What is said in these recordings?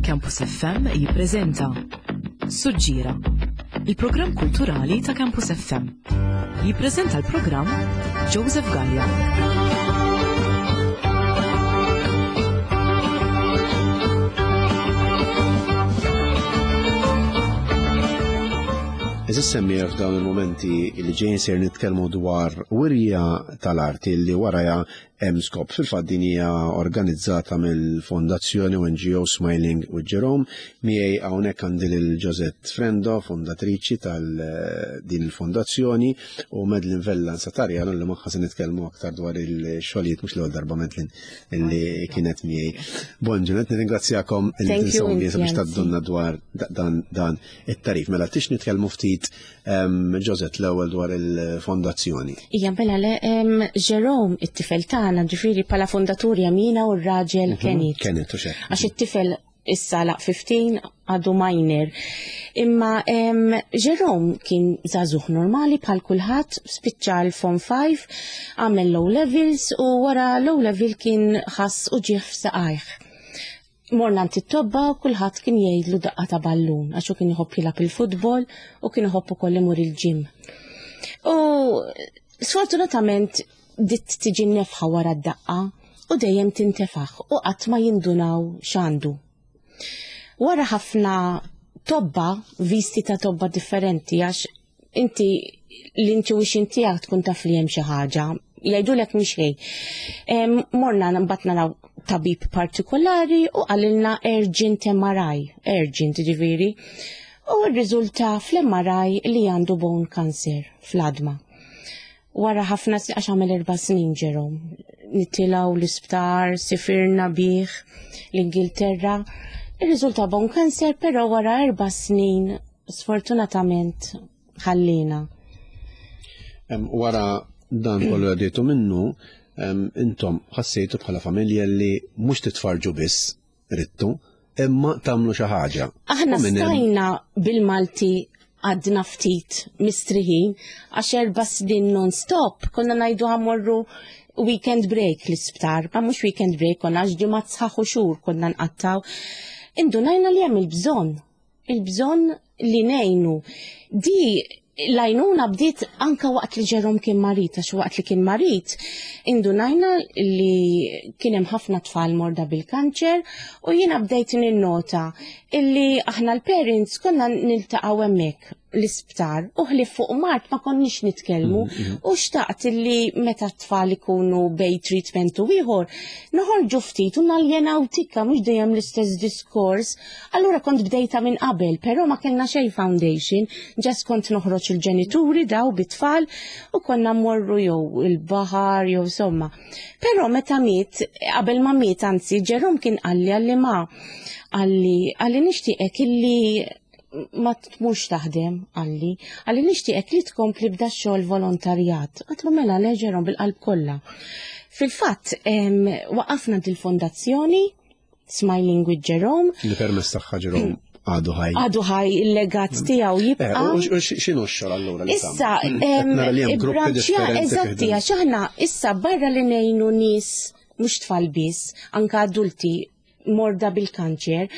Campus FM jippreżenta Suġġiera, il-programm kulturali ta' Campus FM. Jippreżenta l-programm Joseph Gallia. Eżis semmier f'dawn il-momenti li ġejjin ser nitkellmu dwar wirja tal-arti li waraja hemm skop. Fil-fatt din hija organizzata mill-Fondazzjoni NGO Smiling with Jerome. Miegħi hawnhekk għandi lil Josette Frendo, fondatriċi tal eh, din il-fondazzjoni, u Madeline Vella Satarjano li magħha se nitkellmu aktar dwar il-xogħlijiet mhux l-ewwel darba Madeline li kienet miegħi. Bonġu, qed nirringrazzjakom li tinsabu biex taddunna dwar dan dan it-tarif. Mela tix nitkellmu ftit Josette l-ewwel dwar il-fondazzjoni. Ija mela le Jerome it-tifel tagħna ġifieri bħala fondatur jamina u r-raġel mhm, Kenneth. Kenneth u xek. Għax it-tifel issa laq 15 għadu minor. Imma Jerome kien żagħżugħ normali bħal kulħadd, spiċċa l-Form 5, għamel low levels u wara low level kien ħass u ġieħ f'saqajh. Morna għand it-tobba u kulħadd kien jgħidlu daqqa ta' ballun għax hu kien iħobb jilgħab il-futbol u kien iħobb ukoll imur il-ġim. U sfortunatament dit tiġi nefħa wara d-daqqa u dejjem tintefaħ u qatt ma jindunaw x'għandu. Wara ħafna tobba, visti ta' tobba differenti għax inti l-intuition tiegħek tkun taf li hemm xi ħaġa, jgħidulek mhix xejn. Morna mbagħad naraw tabib partikolari u qalilna urgent MRI, urgent ġifieri. U rriżulta fl-MRI li għandu bone cancer fl-adma. Wara ħafna għax għamel erba' snin ġerom. Nittilgħu l-isptar, sifirna bih l-Ingilterra. Irriżulta bone cancer, però wara erba' snin sfortunatament ħallina. Wara dan kollu għaddejtu minnu, intom ħassejtu bħala familja li mhux titfarġu biss rittu, imma tagħmlu xi ħaġa. Aħna stajna bil-Malti għadna ftit mistriħin għax erba' snin non-stop konna ngħidu ħammorru weekend break l-isptar, ma mhux weekend break konna għax ġimgħat sħaħ u xhur konna nqattaw. Indunajna li hemm il-bżonn il-bżonn li ngħinu. Di l-għajnuna bdiet anka waqt li Ġerom kien marit, għax waqt li kien marit, indunajna li kien hemm ħafna tfal morda bil-kanċer u jiena bdejt ninnota illi aħna l-parents konna niltaqgħu hemmhekk l-isptar u ħlif fuq mart ma konniex nitkellmu mm, mm. u xtaqt li meta t-tfal ikunu bej treatment u ieħor noħorġu ftit u naljenaw tikka mhux dejjem l-istess diskors Allura kont bdejta minn qabel, però ma kellna xejn foundation, ġas kont noħroġ il-ġenituri daw bit-tfal u konna mmorru jew il-baħar jew somma. Però meta miet, qabel ma miet anzi, Ġerom kien qalli għalli ma għalli għalli nixtieqek illi ma tmux taħdem għalli, għalli nixtieqek li tkompli b'da xogħol volontarjat. Għatlu mela le Ġerom bil-qalb kollha. Fil-fatt, waqafna dil-fondazzjoni Smiling with Jerome. Li permess tagħha Jerome għadu ħaj. Għadu ħaj il-legat mm. tiegħu jibqa'. Eh, u x'inhu x-xogħol allura? Issa, il-branċja eżatti għax aħna issa barra li ngħinu nies mhux tfal biss, anka adulti morda bil-kanċer,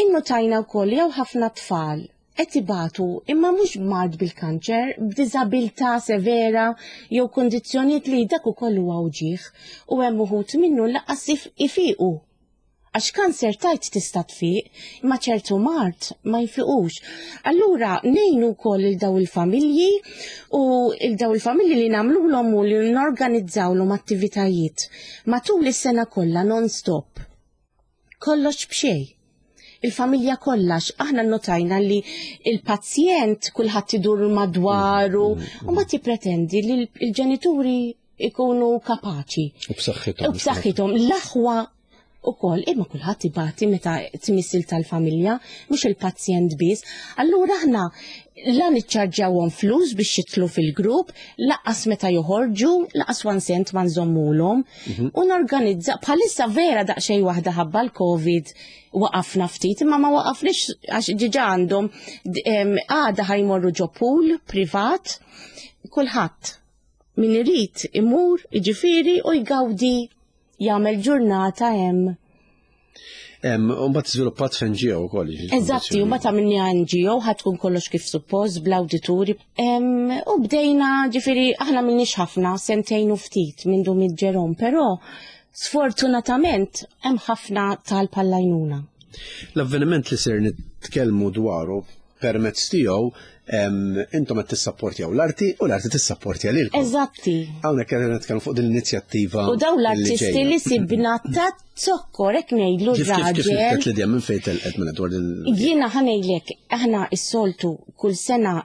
innotajna wkoll jew ħafna tfal qed ibatu imma mhux b'mard bil-kanċer, b'diżabilità severa jew kundizzjonijiet li dak ukoll huwa wġigħ u hemm uħud minnu lanqas ifiqu. Għax kanser tajt tista' tfiq, imma ċertu mard ma jfiqux. Allura ngħinu wkoll il daw il-familji u il daw il-familji li nagħmluhom u li norganizzawlhom attivitajiet matul is-sena kollha non-stop. Kollox b'xejn. Il-familja kollha aħna notajna li il-pazjent kulħadd idur madwaru mm, mm, u ma tippretendi li l-ġenituri ikunu kapaċi. U b'saħħithom. U b'saħħithom. L-aħwa ukoll imma kulħadd ibati meta tmissil tal-familja, mhux il-pazjent biss. Allura aħna la niċċarġawhom flus biex jitlu fil-grupp, laqas meta joħorġu, laqas one cent ma nżommulhom. Mhm. U norganizza bħalissa vera daqsxejn waħda ħabba l-Covid waqafna ftit, imma ma waqafniex għax ġiġa għandhom għada ħajmorru ġo pool privat, kulħadd min irid imur, jiġifieri u jgawdi jagħmel ġurnata hemm. Mbagħad żviluppat f'NGO wkoll. Eżatti, u mbagħad għamilni NGO ħad tkun kollox kif suppost bl-awdituri. U bdejna ġifieri aħna minnix ħafna, sentejn u ftit minn dum ġerom, però sfortunatament hemm ħafna talb għall-għajnuna. L-avveniment li ser nitkellmu dwaru permezz tiegħu intom qed tissapportjaw l-arti u l-arti tissapportja lilkom. Eżatti. Hawnhekk qed nitkellmu fuq din l-inizjattiva. U dawn l-artisti li sibna ta' zokkor hekk ngħidlu raġel. Kif kif l minn fejn telqet minn dwar din. Jiena ħa ngħidlek aħna s-soltu kull sena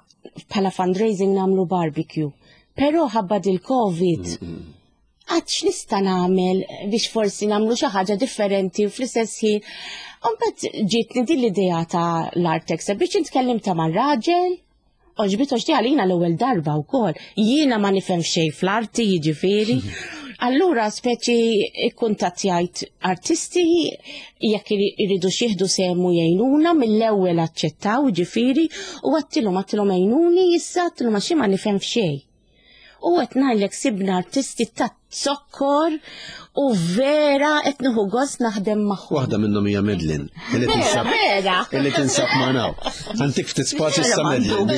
bħala fundraising nagħmlu barbecue. Però ħabba dil-Covid għad x'nista' nagħmel biex forsi nagħmlu xi ħaġa differenti u fl-istess ħin. Mbagħad ġietni din l-idea ta' l-Artex biex intkellim ta' mar-raġel, oġbit oġti għalina l-ewwel darba wkoll. Jiena ma nifhem xejn fl-arti jiġifieri. Allura speċi ikkuntattjajt artisti jekk iridu xieħdu semu jgħinuna mill-ewwel aċċettaw ġifieri u għattilhom għattilhom għinuni issa għattilhom għax ma nifhem f'xejn. U qed ngħidlek sibna artisti ta' zokkor u vera qed nieħu gost naħdem magħhom. Waħda minnhom hija Medlin. Illi tinsab Vera. Illi tinsab magħna. Ħantik ftit spazju sa Medlin.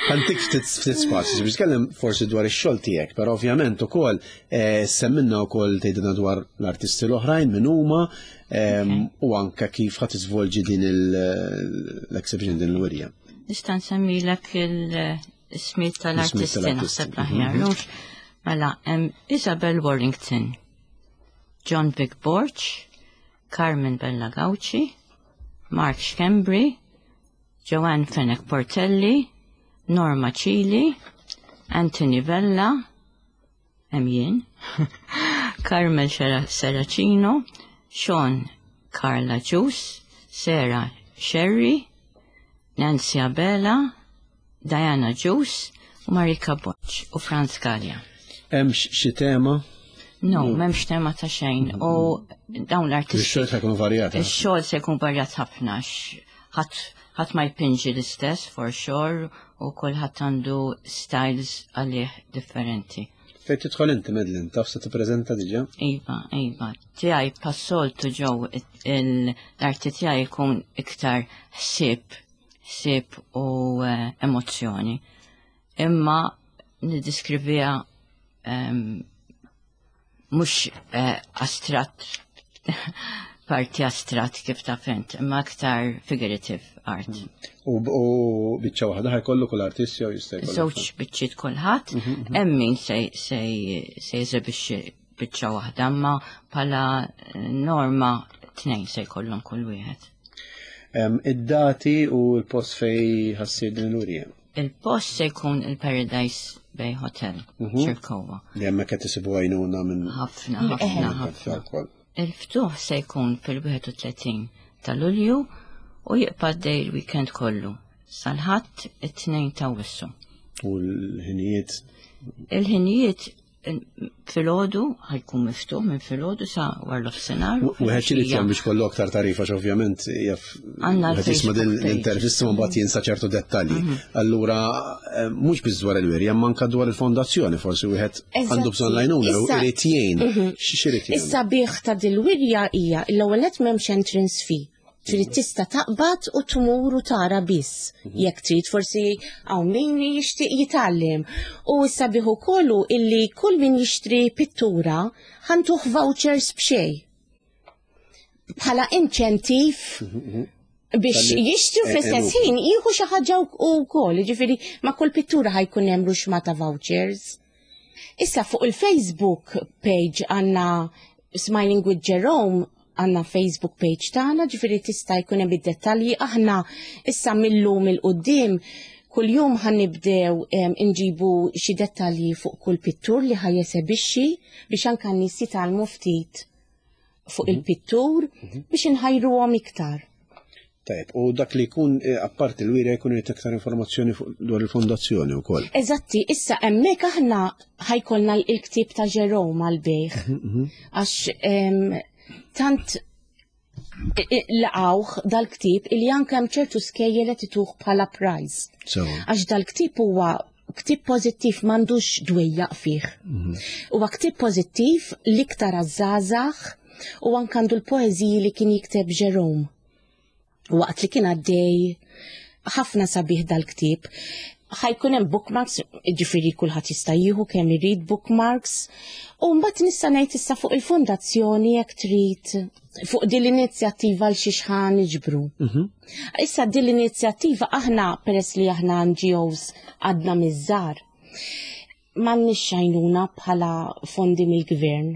Ħantik ftit ftit spazju biex tkellem forsi dwar ix-xogħol tiegħek, però ovvjament ukoll eh, semminna wkoll tgħidilna dwar l-artisti l-oħrajn min huma ehm, u anke kif ħadd iżvolġi din l-exhibition din l-wirja. Nista' nsemmilek il-ismiet tal-artisti naħseb l-aħjar. Mhm. Mela, hemm Isabel Warrington, John Vic Borch, Carmen Bella Gauci, Mark Schembri, Joanne Fenech Portelli, Norma Cili, Anthony Vella, hemm jien, Carmel Serracino, Sean Carla Ġus, Sarah Sherry, Nancy Abela, Diana Ġus u Marika Boċ u Franz Gallia. Hemm xi tema? No, m'hemmx tema ta' xejn. U dawn l-artisti. Ix-xogħol se jkun varjat. Eh? Ix-xogħol se jkun varjat ħafna. Ħadd ma jpinġi l-istess for sure u kulħadd għandu styles għalih differenti. Fejn tidħol inti Medlin, taf se tippreżenta diġà? Iva, iva. Tiegħi passoltu ġew l-arti tiegħi jkun iktar ħsieb, ħsieb u eh, emozzjoni. Imma niddeskriviha ehm, mhux eh, astratt parti astratt kif ta' fent, imma aktar figurative art. U biċċa waħda ħajkollu kull artist jew jista' jkollu. Żewġ biċċiet kulħadd, mhm, mhm. hemm min se jeżebixxi biċċa waħda, imma bħala eh, norma tnejn se jkollhom kull wieħed. Id-dati u l-post fej ħassir din l-urija. Il-post se jkun il-Paradise Bay Hotel, mhm. Ċirkowa. Li hemmhekk qed isibu għajnuna minn. Ħafna, ħafna, ħafna. Il-ftuħ se jkun fil-31 ta' Lulju u jibqa' dej il-weekend kollu sal-ħadd it-tnejn ta' Wissu. U l-ħinijiet? Il-ħinijiet filgħodu ħajkun miftuħ minn filgħodu sa war l-ofsenar. Wieħed irid jagħmel biex kollu aktar tarif għax ovvjament jaf għandna jisma' din l-intervista ma mbagħad jinsa ċertu dettalji. Mhm. Allura eh, mhux biss dwar il-wirja ma anke dwar il-fondazzjoni forsi wieħed għandu bżonn lajnuna u irid jgħin. Mhm. X'irid jgħin. Issa bih ta' dil-wirja hija l-ewwel qed m'hemmx entrance fee. Trid tista' taqbad u tmur u tara biss. Mhm. Jekk trid forsi hawn min jixtieq jitgħallem. U s-sabiħ ukoll illi kull min jixtri pittura ħantuh vouchers b'xejn. Bħala inċentiv mhm, mhm. biex jixtru eh, fl-istess eh, ħin jieħu xi ħaġa wkoll, jiġifieri ma' kull pittura ħajkun hemm ruxma ta' vouchers. Issa fuq il-Facebook page għandna Smiling with Jerome għanna Facebook page tagħna, ġifieri tista' jkun hemm id-dettalji aħna issa millum il-qudiem kuljum ħan nibdew inġibu xi dettalji fuq kull pittur li ħaj jesebixxi biex anke n-nies jitgħallmu ftit fuq mhm. il-pittur mhm. biex inħajruhom iktar. Tajb, u dak li jkun eh, apparti l-wirja jkun irid aktar informazzjoni dwar il-fondazzjoni wkoll. Eżatti, issa hemmhekk aħna ħajkollna l-ktieb ta' Jerome għal-bejħ. Mhm, mhm. Għax tant laqawh dal-ktieb illi anke hemm ċertu skejjel qed ituh bħala prize. Għax dal-ktieb huwa ktieb pożittiv m'għandux dwejjaq fih. Mhm. Huwa ktieb pożittiv l-iktar għaż-żgħażagħ. U anke għandu l-poeżiji li kien jikteb Jerome waqt li kien għaddej ħafna sabiħ dal-ktieb. Ħajkun hemm bookmarks, ġifieri kulħadd jista' jieħu kemm irid bookmarks. U mbagħad nista' ngħid issa fuq il-fondazzjoni jekk trid fuq din l-inizjattiva l xi xħan niġbru. Issa din l-inizjattiva aħna peress li aħna NGOs għadna miż-żgħar m'għandniex għajnuna bħala fondi mill-gvern.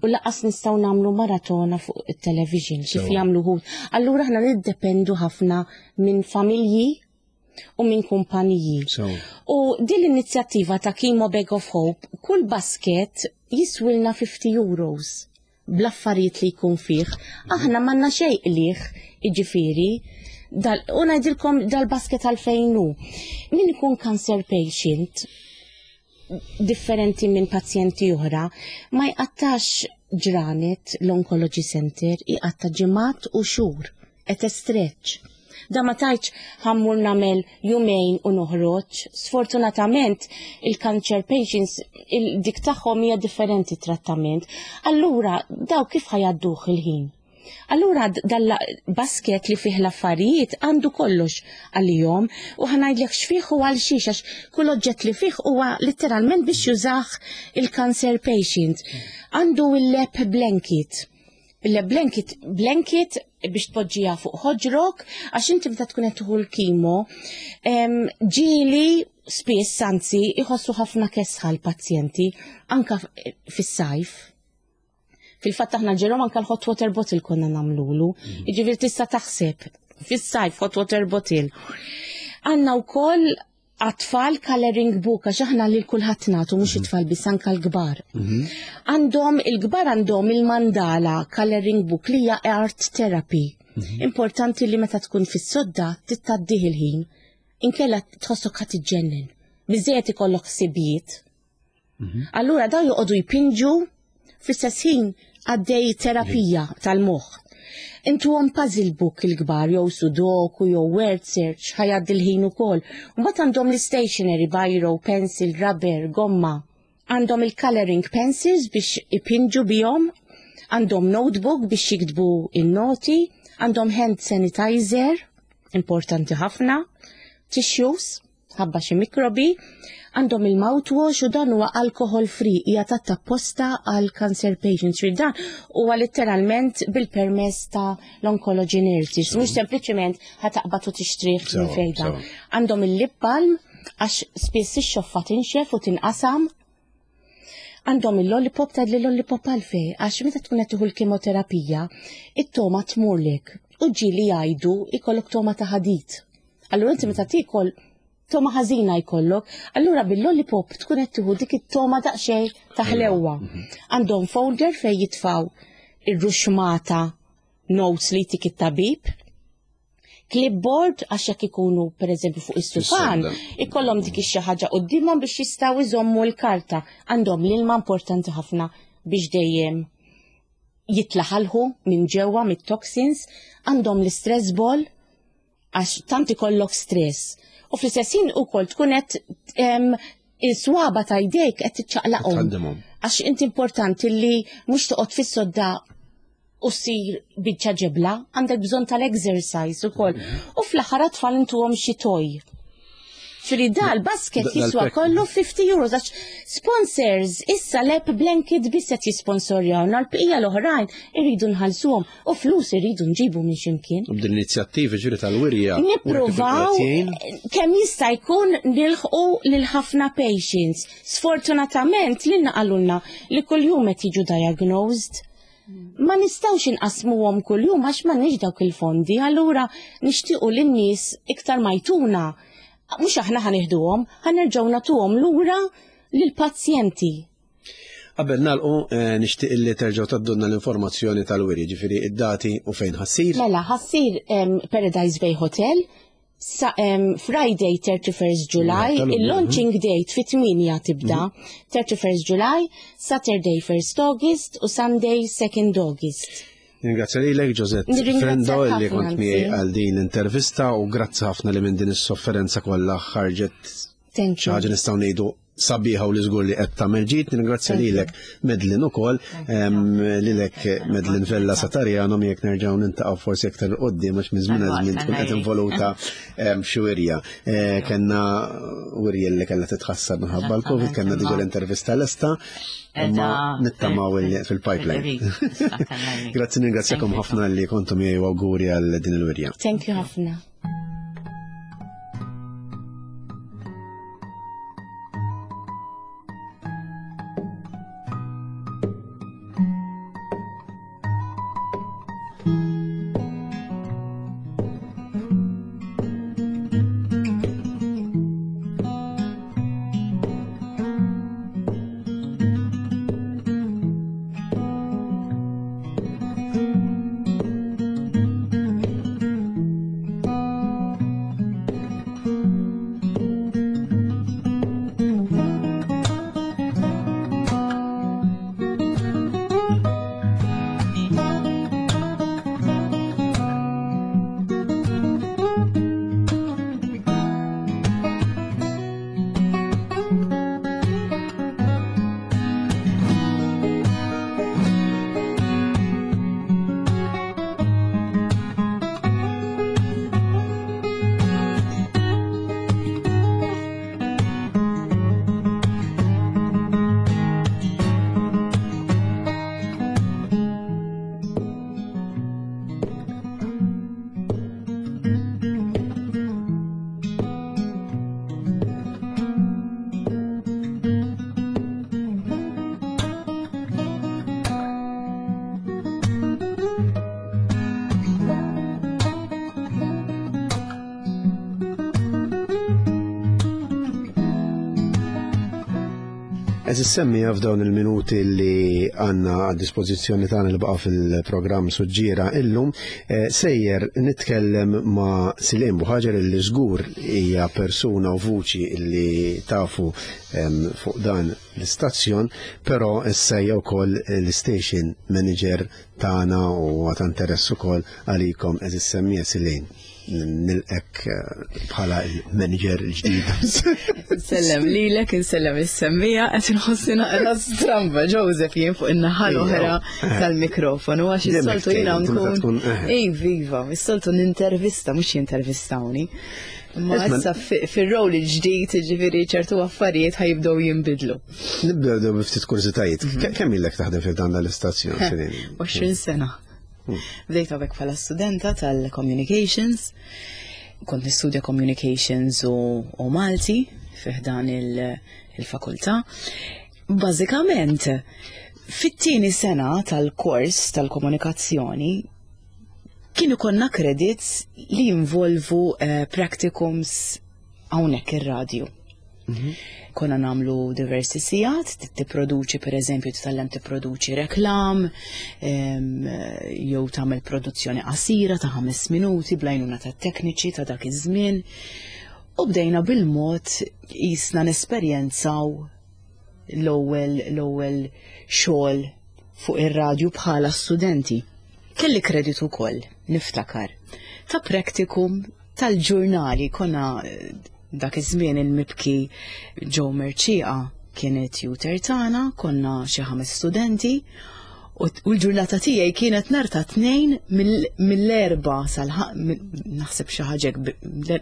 U laqas nistgħu nagħmlu maratona fuq it-television kif jagħmlu ħut. Allura aħna niddependu ħafna minn familji u minn kumpaniji. U din l-inizjattiva ta' Chemo Bag of Hope, kull basket jiswilna 50 euros bl-affarijiet li jkun fih. Aħna m'għandna xejn qliħ, jiġifieri, dal, u ngħidilkom dal-basket għalfejn hu. Min ikun cancer patient, differenti minn pazjenti oħra, ma jqattax ġranet l-oncology center, iqatta ġimgħat u xhur, at a stretch. Da ma tajċ ħa mmur nagħmel jumejn u noħroġ. Sfortunatament il-cancer patients il-dik tagħhom hija differenti trattament. Allura daw kif ħa jgħadduh il-ħin? Allura dal-basket li fih l-affarijiet għandu kollox għalihom u ħa ngħidlek x'fih u għal xiex għax kull oġġett li fih huwa letteralment biex jużah il-cancer patient. Għandu il-lap blanket. Il-lap blanket, blanket biex tpoġġiha fuq ħoġrok għax inti meta tkun qed tieħu l-chemo ġieli spiss anzi iħossu ħafna kesħa l-pazjenti anka fis-sajf. Fil-fatt aħna Jerome anka l-hot water bottle konna nagħmlulu. Jiġifieri tista' taħseb fis-sajf hot water bottle. Għandna wkoll għat-tfal coloring book għax aħna lil kulħadd nagħtu mhux it-tfal biss anka l-kbar. Għandhom il-kbar għandhom il-mandala coloring book li hija art therapy. Importanti li meta tkun fis-sodda tgħaddih il-ħin. Inkella tħossok ħa tiġġennen. Biżejjed ikollok ħsibijiet. Allura daw joqogħdu jpinġu fl-istess ħin għaddej terapija tal-moħħ. Intuhom puzzle book il-kbar jew sudoku jew word search ħa jgħaddi l-ħin ukoll. Mbagħad għandhom l-stationery, biro, pencil, rubber, gomma. Għandhom il-coloring pencils biex ipinġu bihom, għandhom notebook biex jiktbu in-noti, għandhom hand sanitizer, importanti ħafna, tissues, ħabba xi mikrobi, għandhom il-mouthwash u dan huwa alcohol free, hija tatta apposta għal cancer patients. Ġifieri dan huwa letteralment bil-permess ta' l-oncology nurses, mhux sempliċement ħa taqbad u tixtrih minn fejda. Għandhom il-lip balm għax spiss ix-xoffa tinxef u tinqasam. Għandhom il-lollipop ta' li lollipop għalfej, għax meta tkun qed tieħu l-kimoterapija, it-togħma tmurlek u ġieli jgħidu ikollok togħma ta' ħadid. Allura inti meta tiekol togħma ħażina jkollok, allura bil-lollipop tkun qed tieħu dik it-togħma daqsxejn ta' ħlewwa. Għandhom folder fejn jitfaw ir-ruxmata notes li jtik it-tabib, clipboard għax jekk ikunu pereżempju fuq is-sufan, ikollhom dik ix-xi ħaġa quddiemhom biex jistgħu jżommu l-karta. Għandhom l-ilma importanti ħafna biex dejjem jitlaħalħu minn ġewwa mit-toxins, għandhom l-stress ball għax tant ikollok stress. U fl-istess ħin ukoll tkun qed il-swaba ta' jdejk qed tiċċaqlaqhom. Tħaddimhom. Għax inti importanti li mhux toqgħod fis-sodda u ssir biċċa ġebla, għandek bżonn tal-exercise ukoll. U fl-aħħar tfal intuhom xi toy. Ġifieri dal-basket jiswa kollu 50 euros, għax sponsors issa lap blanket biss qed jisponsorjaw, l-bqija l-oħrajn irridu nħallsuhom u flus irridu nġibu minn ximkien. U b'din l-inizjattiva ġiri tal-wirja. Nippruvaw kemm jista' jkun nilħqu lil ħafna patients. Sfortunatament lilna qalulna li kuljum qed jiġu diagnosed. Ma nistgħux inqasmuhom kuljum għax m'għandniex dawk il-fondi, allura nixtiequ lin-nies iktar ma jtuna. Mhux aħna ħa nieħduhom, ħa nerġgħu nagħtuhom lura lill-pazjenti. Qabel nagħlqu nixtieq li terġgħu tgħaddulna l-informazzjoni tal-wiri, ġifieri id-dati u fejn ħa ssir. Mela, ħa ssir Paradise Bay Hotel, sa, Friday 31st July, il-launching date fit-8 tibda, 31st July, Saturday 1st August u Sunday 2nd August. Ringrazzja lilek Josette Nirringrazzjak Frendo li ħafna, kont miegħi anzi. għal din l-intervista u grazzi ħafna li minn din is-sofferenza kollha ħarġet Thank xi you. ħaġa nistgħu ngħidu sabiħa u li żgur li qed tagħmel ġid. Nirringrazzja lilek Medlin ukoll, lilek Medlin Vella Satarjano miegħek nerġgħu nintaqgħu forsi aktar qudiem għax minn żmien għal żmien tkun qed involuta f'xi wirja. Eh, kenna wirja li kellha titħassar minħabba l-Covid, kellna diġà l-intervista lesta, imma nittamaw fil-pipeline. Grazzi ningrazzjakom ħafna li kontu miegħi u awguri għal din il-wirja. Thank you ħafna. Eżis semmija f'dawn il-minuti li għanna għad dispożizzjoni tagħna li baqa' fil-programm Suġġiera illum, eh, sejjer nitkellem ma' Silim Buħaġer li żgur hija persuna u vuċi li tafu fuq dan l-istazzjon, però issa hija wkoll l-station manager tagħna u ta' interess ukoll għalikom eżis semmija Silim. nilqek eh, bħala il-manager il-ġdid. Nsellem lilek, insellem is-semmija, qed inħossi naqra stramba Joseph jien fuq in-naħa l-oħra eh. tal-mikrofonu għax is-soltu jiena nkun. Eh. Ej viva, is-soltu nintervista mhux jintervistawni. Ma issa fir-rol il-ġdid, ġifieri ċertu affarijiet ħajibdew jinbidlu. Nibdew ftit kurżitajiet. Mhm. Kemm ilek taħdem fil-dan l-istazzjon? 20 sena. Bdejt hawnhekk bħala studenta tal-communications, kont nistudja communications u, u Malti fih dan il-fakultà. Bażikament, fit-tieni sena tal-kors tal-komunikazzjoni kienu konna credits li jinvolvu eh, practicums hawnhekk ir-radju. Mhm. Konna namlu diversi sijat, tipproduċi per eżempju titgħallem tipproduċi reklam, jew tagħmel produzzjoni qasira ta' ħames minuti blajnuna ta' tekniċi ta' dak iż-żmien. U bdejna bil-mod jisna nesperjenzaw l-ewwel l-ewwel xogħol fuq ir-radju bħala studenti. Kelli kreditu wkoll, niftakar, ta' practicum tal-ġurnali konna dak iż-żmien il-mibki Joe Mercieca kien it-tutor tagħna, konna xi ħames studenti u l-ġurnata tiegħi kienet nhar ta' tnejn mill-erba sal naħseb xi ħaġa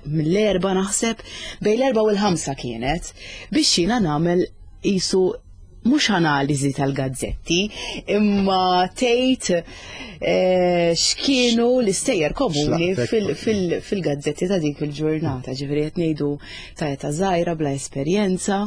mill-erba naħseb bejn l-erba u l-ħamsa kienet biex jiena nagħmel qisu mhux analiżi tal-gazzetti, imma tgħid eh, x'kienu l-istejjer komuni fil-gazzetti ta' dik il-ġurnata, ġifieri qed ngħidu ta' età żgħira bla esperjenza,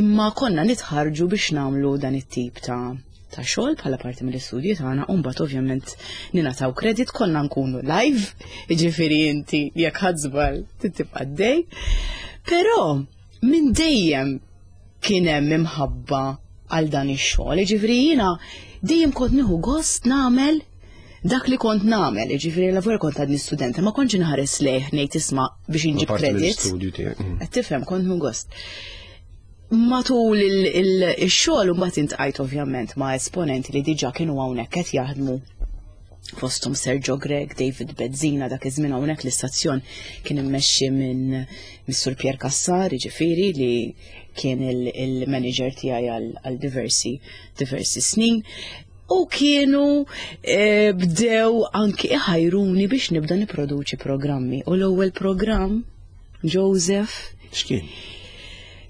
imma konna nitħarġu biex nagħmlu dan it-tip ta' ta' xogħol bħala parti mill-istudji tagħna u mbagħad ovvjament ningħataw kredit konna nkunu live, jiġifieri inti jekk ħadd żball tibqa' dej. Però minn dejjem kien hemm imħabba għal dan ix-xogħol, jiġifieri jiena dejjem kont nieħu gost nagħmel dak li kont nagħmel, jiġifieri la kont għadni studenta, ma kontx inħares lejh ngħid isma' biex inġib kredit. Mm. Qed tifhem kont nieħu gost. Matul il-xogħol mbagħad intqajt ovvjament ma' esponenti li diġà kienu hawnhekk qed jaħdmu. Fosthom Sergio Grech, David Bezzina, dak iż-żmien hawnhekk l-istazzjon kien immexxi minn Mr. Pierre Cassar, jiġifieri li kien il-manager tiegħi għal diversi diversi snin. U kienu eh, bdew anki iħajruni biex nibda niproduċi programmi. U l-ewwel programm, Joseph, X'kien?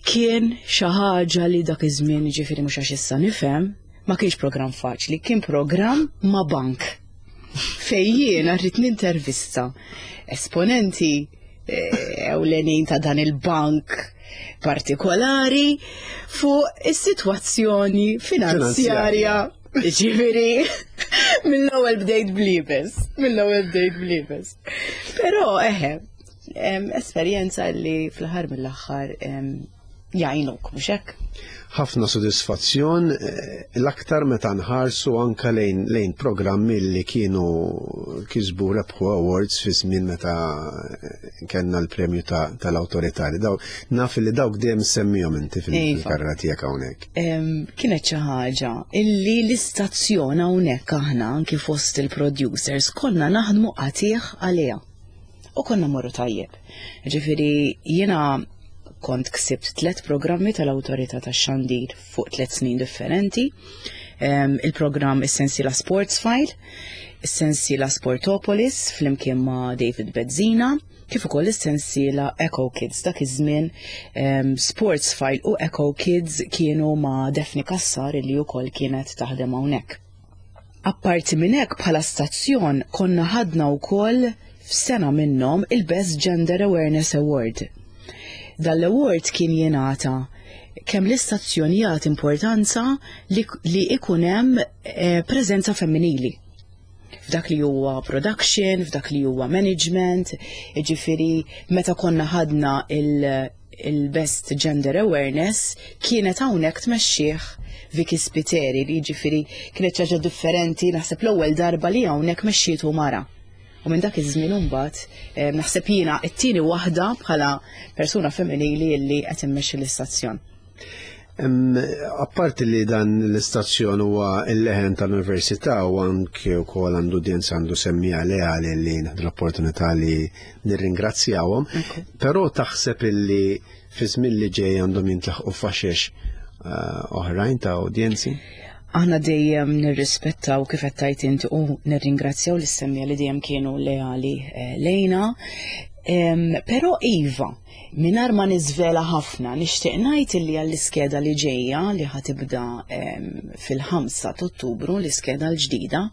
Kien xi ħaġa li dak iż-żmien ġifieri mhux għax issa nifhem, Ma kienx programm faċli, kien programm ma' bank. Fejn jiena rrid nintervista esponenti eh, ewlenin ta' dan il-bank partikolari fuq is-sitwazzjoni finanzjarja. Ġifieri, mill-ewwel bdejt blibes, mill-ewwel bdejt blibes. Però eħe, esperjenza li fl-aħħar mill-aħħar jgħinuk, mhux hekk? Ħafna sodisfazzjon eh, l-aktar meta nħarsu anka lejn, lejn programmi li kienu kisbu rebħu awards fi żmien meta eh, kellna l-premju tal-awtorità li daw naf li dawk dejjem semmihom inti iva. fil-karra tiegħek hawnhekk. Kienet xi ħaġa illi l-istazzjon hawnhekk aħna anki fost il-producers konna naħdmu qatih għaliha. U konna morru tajjeb. Ġifieri jiena kont ksibt tlet programmi tal-Awtorità tax-Xandir fuq tlet snin differenti. Il-programm Is-Sensiela Sports File, Is-Sensiela Sportopolis flimkien ma' David Bezzina, kif ukoll is-sensiela Echo Kids. Dak iż-żmien Sports File u Echo Kids kienu ma' Daphne Cassar illi wkoll kienet taħdem hawnhekk. Apparti minn hekk bħala stazzjon konna ħadna wkoll f'sena minnhom il-Best Gender Awareness Award. Dan l-award kien jingħata kemm l-istazzjon jagħti importanza li, li ikun hemm eh, preżenza femminili f'dak li huwa production, f'dak li huwa management, jiġifieri meta konna ħadna il- il-Best Gender Awareness kienet hawnhekk tmexxih Vicky Spiteri li jiġifieri kienet xi ħaġa differenti naħseb l-ewwel darba li hawnhekk mexxietu mara. U minn dak iż-żmien imbagħad eh, naħseb jiena t-tieni waħda bħala persuna femminili li qed immexxi l-istazzjon. Apparti li dan l-istazzjon huwa l-leħen tal-Università u anke wkoll għandu udjenza għandu semmija leali li nieħdu l-opportunità li nirringrazzjawhom, però taħseb illi fi żmien li ġej għandhom jintlaħqu faxex eh, oħrajn ta' udjenzi? Aħna dejjem nirrispettaw kif qed tgħid inti u nirringrazzjaw lis-semmija li dejjem kienu leali eh, lejna. Però iva, Mingħajr ma niżvela ħafna, nixtieq ngħid illi għall-iskeda li ġejja li ħa tibda fil-5 ta' Ottubru, l-iskeda l-ġdida,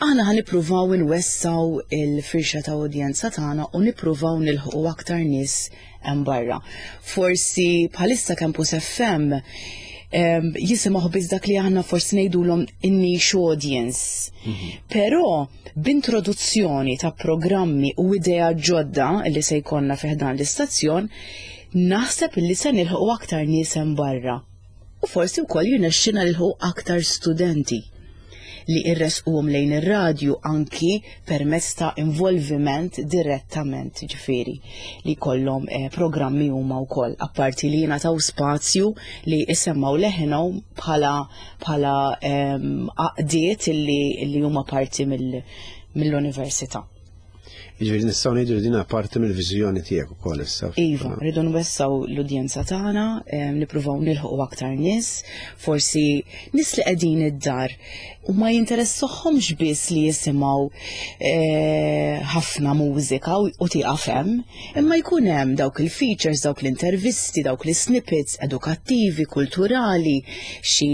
aħna ħa nippruvaw inwessaw il-firxa ta' udjenza tagħna u nippruvaw nilħqu aktar nies hemm barra. Forsi bħalissa Campus FM jisimgħu biss dak li aħna forsi ngħidulhom in-niche audience. Mhm. Però B'introduzzjoni ta' programmi u ideat ġodda li se jkollna fi ħdan l-istazzjon, naħseb li se nilħqu aktar nies hemm barra. U forsi wkoll jirnexxina nilħqu aktar studenti li irresquhom lejn ir-radju anki permezz ta' involviment direttament ġifieri li jkollhom eh, programmi huma wkoll apparti li jingħataw spazju li jsemmaw leħinhom bħala bħala ehm, għaqdiet illi huma parti mill-università. Jiġifieri nistgħu ngħidu li din parti mill-viżjoni tiegħek ukoll issa. Iva, rridu nwessaw l-udjenza tagħna, ehm, nippruvaw nilħqu aktar nies, forsi nies li qegħdin id-dar u ma jinteressahomx biss li jisimgħu eh, ħafna mużika u tieqaf hemm, Imma jkun hemm dawk il-features, dawk l-intervisti, dawk l-snippets edukattivi, kulturali, xi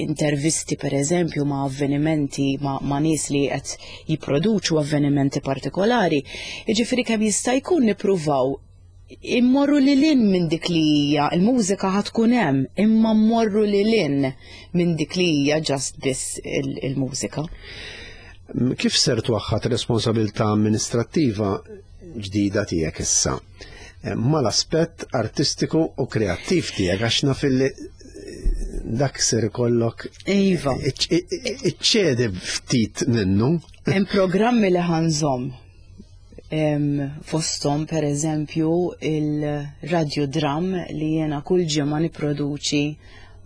intervisti per eżempju ma' avvenimenti ma', ma nies li qed jipproduċu avvenimenti partikolari. Jiġifieri kemm jista' jkun nippruvaw immorru lil hinn minn dik li hija il-mużika ħa tkun hemm, imma mmorru lil hinn minn dik li hija just biss il-mużika. Kif ser twaħħad responsabilità amministrattiva ġdida tiegħek issa eh, mal-aspett artistiku u kreattiv tiegħek għax naf illi eh, dak ser ikollok Iva. Iċċedi ftit minnu. Hemm programmi li ħanżom fostom per eżempju il-radio dram li jena kull ġimgħa nipproduċi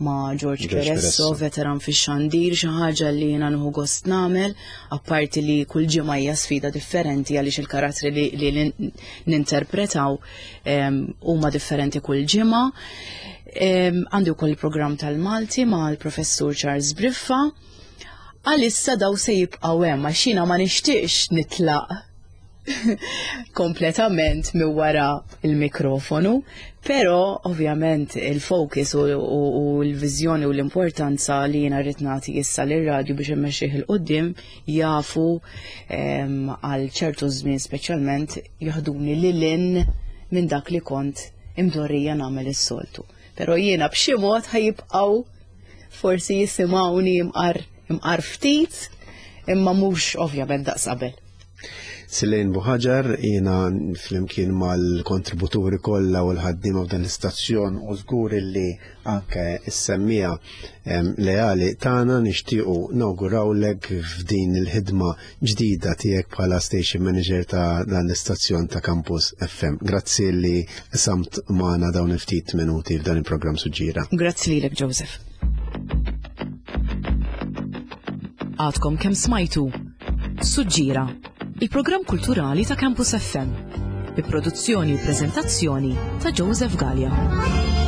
ma' George Peresso, veteran fix-xandir, xi ħaġa li jiena nieħu gost nagħmel, apparti li kull ġimgħa hija sfida differenti għaliex il-karattri li, li ninterpretaw huma differenti kull ġimgħa. Għandi wkoll il-programm tal-Malti ma' l-professur Charles Briffa. Għalissa daw se jibqgħu hemm għax jiena ma nixtieqx nitlaq kompletament mi wara il-mikrofonu, pero ovvjament il-focus u, u, u l-viżjoni u l-importanza li jiena rrid nagħti issa lir-radju biex immexxih il qudiem jafu għal ċertu żmien speċjalment jaħduni lil hinn minn dak li kont imdorrija nagħmel is-soltu. Pero jiena b'xi mod ħajibqgħu forsi jisimgħuni imqar imqar ftit, imma mhux ovvjament daqs qabel. Silejn Buħaġar, jiena flimkien mal-kontributuri kollha u l-ħaddiema f'dan l-istazzjon u żgur li anke s-semmija leali tagħna nixtiequ nawgurawlek f'din il-ħidma ġdida tiegħek bħala station manager ta' dan l-istazzjon ta' Campus FM. Grazzi li samt magħna dawn il-ftit minuti f'dan il-programm Suġġiera. Grazzi lilek Joseph. Għadkom kemm smajtu Suġġiera, il-programm kulturali ta' Campus FM, bi produzzjoni u preżentazzjoni ta' Joseph Gallia.